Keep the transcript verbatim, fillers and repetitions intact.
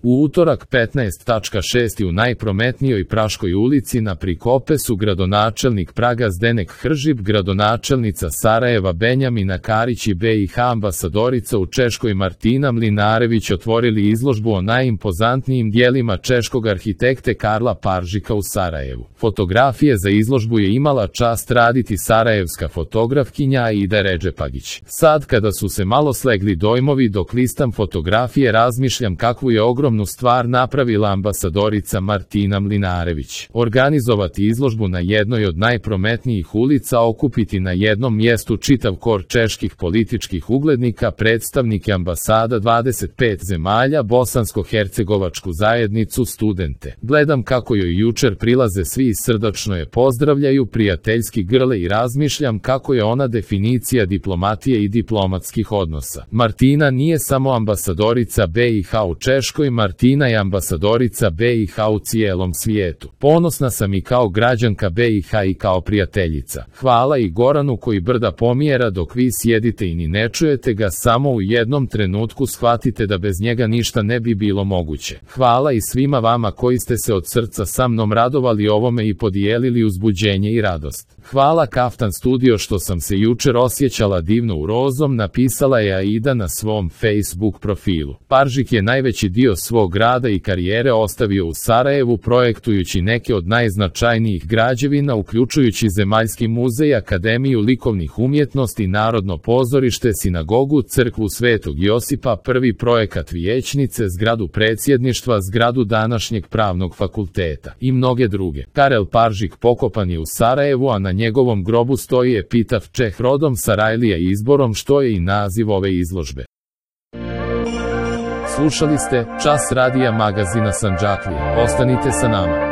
U utorak petnaest tačka šest u najprometnijoj Praškoj ulici na Prikopesu gradonačelnik Praga Zdenek Hržib, gradonačelnica Sarajeva Benjamina Karić i B i H ambasadorica u Češkoj Martina Mlinarević otvorili izložbu o najimpozantnijim dijelima češkog arhitekte Karla Paržika u Sarajevu. Fotografije za izložbu je imala čast raditi sarajevska fotografkinja Aida Redžepagić. Sad kada su se malo slegli dojmovi dok listam fotografije razmišljam kakvu je ogromnu stvar napravila ambasadorica Martina Mlinarević. Organizovati izložbu na jednoj od najprometnijih ulica, okupiti na jednom mjestu čitav kor čeških političkih uglednika, predstavnike ambasada dvadeset pet zemalja, bosansko-hercegovačku zajednicu, studente. Gledam kako joj jučer prilaze svi i srdačno je pozdravljaju, prijateljski grle i razmišljam kako je ona definicija diplomatije i diplomatskih odnosa. Martina nije samo ambasadorica B i H u Češkoj, Martina je ambasadorica B i H u cijelom svijetu. Ponosna sam i kao građanka B i H i kao prijateljica. Hvala i Goranu koji brda pomjera dok vi sjedite i ni ne čujete ga, samo u jednom trenutku shvatite da bez njega ništa ne bi bilo moguće. Hvala i svima vama koji ste se od srca sa mnom radovali ovome i podijelili uzbuđenje i radost. Hvala Kaftan Studio što sam se jučer osjećala divno u rozom, napisala je Aida na svom Facebook profilu. Paržik je najveći dio svog rada i karijere ostavio u Sarajevu projektujući neke od najznačajnijih građevina uključujući Zemaljski muzej, Akademiju likovnih umjetnosti, Narodno pozorište, sinagogu, crkvu Svetog Josipa, prvi projekat vijećnice, zgradu predsjedništva, zgradu današnjeg pravnog fakulteta i mnoge druge. Karel Paržik pokopan je u Sarajevu, a na njegovom grobu stoji epitaf Čeh rodom Sarajlija izborom, što je i naziv ove izložbe. Slušali ste Čas radija magazina Sandžaklije. Ostanite sa nama.